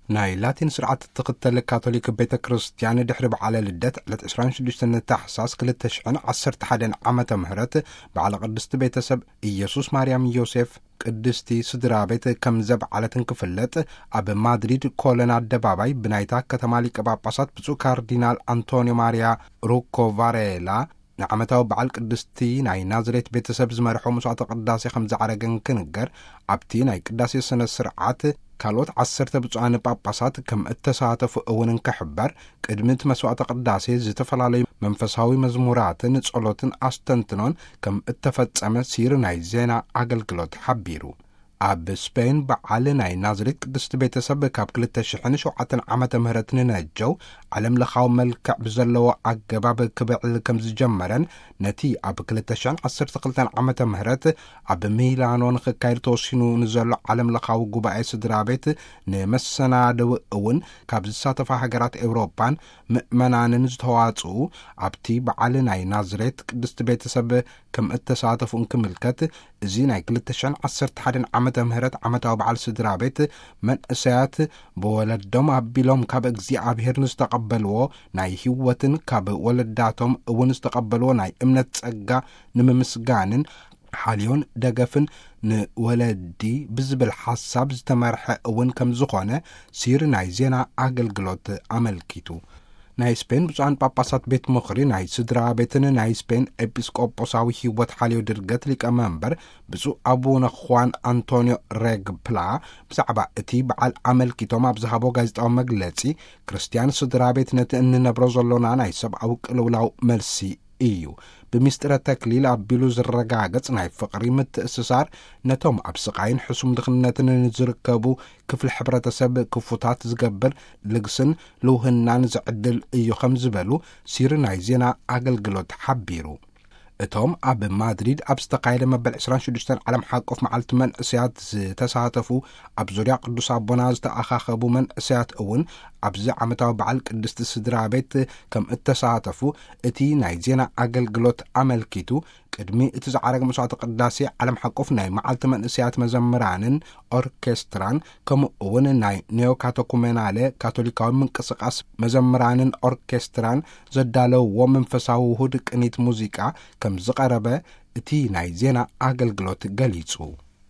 ናይ ላቲን ስርዓት እትኽተል ካቶሊክ ቤተ ክርስቲያን፣ ድሕሪ በዓለ ልደት ዕለት ዕስራን ሽዱሽተን ታሕሳስ ክልተ ሽሕን ዓሰርተ ሓደን ዓመተ ምህረት፣ በዓለ ቅድስቲ ቤተሰብ ኢየሱስ ማርያም ዮሴፍ ቅድስቲ ስድራ ቤት ከም ዘብዓለትን ክፍለጥ፣ ኣብ ማድሪድ ኮለን ኣደባባይ ብናይታ ከተማ ሊቀ ጳጳሳት ብፁዕ ካርዲናል ኣንቶኒዮ ማርያ ሩኮ ቫሬላ ንዓመታዊ በዓል ቅድስቲ ናይ ናዝሬት ቤተሰብ ዝመርሖ መስዋዕተ ቅዳሴ ከም ዝዓረገን ክንገር፣ ኣብቲ ናይ ቅዳሴ ስነ ስርዓት ካልኦት ዓሰርተ ብፁዓን ጳጳሳት ከም እተሳተፉ እውን እንክሕበር፣ ቅድሚ እቲ መስዋዕተ ቅዳሴ ዝተፈላለዩ መንፈሳዊ መዝሙራትን ጸሎትን ኣስተንትኖን ከም እተፈጸመ ሲር ናይ ዜና ኣገልግሎት ሓቢሩ። ኣብ ስፔን በዓል ናይ ናዝሬት ቅድስቲ ቤተሰብ ካብ ክልተ ሽሕን ሸውዓተን ዓመተ ምህረት ንነጀው ዓለም ለኻዊ መልክዕ ብዘለዎ ኣገባብ ክብዕል ከም ዝጀመረን፣ ነቲ ኣብ ክልተ ሽሕን ዓሰርተ ክልተን ዓመተ ምህረት ኣብ ሚላኖ ንኽካየድ ተወሲኑ ንዘሎ ዓለም ለኻዊ ጉባኤ ስድራ ቤት ንመሰናድው እውን ካብ ዝሳተፋ ሃገራት ኤውሮጳን ምእመናንን ዝተዋጽኡ ኣብቲ በዓል ናይ ናዝሬት ቅድስቲ ቤተሰብ ከም እተሳተፉ እንክምልከት፣ እዚ ናይ ክልተ ሽሕን ዓሰርተ ሓደን ዓመተ ምህረት ዓመታዊ በዓል ስድራ ቤት፣ መንእሰያት ብወለዶም ኣቢሎም ካብ እግዚኣብሔር ንዝተቐበልዎ ናይ ህይወትን ካብ ወለዳቶም እውን ዝተቐበልዎ ናይ እምነት ጸጋ ንምምስጋንን ሓልዮን ደገፍን ንወለዲ ብዝብል ሓሳብ ዝተመርሐ እውን ከም ዝኾነ ሲር ናይ ዜና ኣገልግሎት ኣመልኪቱ። ናይ ስፔን ብፁዓን ጳጳሳት ቤት ምኽሪ ናይ ስድራ ቤትን ናይ ስፔን ኤጲስቆጶሳዊ ህይወት ሓልዮ ድርገት ሊቀ መንበር ብፁዕ ኣቡነ ኹዋን ኣንቶኒዮ ሬግፕላ ብዛዕባ እቲ በዓል ኣመልኪቶም ኣብ ዝሃቦ ጋዜጣዊ መግለጺ፣ ክርስትያን ስድራ ቤት ነቲ እንነብሮ ዘሎና ናይ ሰብኣዊ ቅልውላው መልሲ እዩ። ብምስጢረ ተክሊል ኣቢሉ ዝረጋገጽ ናይ ፍቕሪ ምትእስሳር፣ ነቶም ኣብ ስቓይን ሕሱም ድኽነትን ንዝርከቡ ክፍሊ ሕብረተሰብ ክፉታት ዝገብር ልግስን ልውህናን ዝዕድል እዩ ከም ዝበሉ ሲሪ ናይ ዜና ኣገልግሎት ሓቢሩ። እቶም ኣብ ማድሪድ ኣብ ዝተኻየደ መበል ዕስራን ሽዱሽተን ዓለም ሓቆፍ መዓልቲ መንእሰያት ዝተሳተፉ፣ ኣብ ዙርያ ቅዱስ ኣቦና ዝተኣኻኸቡ መንእሰያት እውን ኣብዚ ዓመታዊ በዓል ቅድስቲ ስድራ ቤት ከም እተሳተፉ እቲ ናይ ዜና ኣገልግሎት ኣመልኪቱ፣ ቅድሚ እቲ ዝዓረገ መስዋዕተ ቅዳሴ ዓለም ሓቆፍ ናይ መዓልቲ መንእሰያት መዘምራንን ኦርኬስትራን፣ ከምኡ እውን ናይ ኔዮካተኩሜናለ ካቶሊካዊ ምንቅስቃስ መዘምራንን ኦርኬስትራን ዘዳለውዎ መንፈሳዊ ውሁድ ቅኒት ሙዚቃ ከም ዝቐረበ እቲ ናይ ዜና ኣገልግሎት ገሊጹ።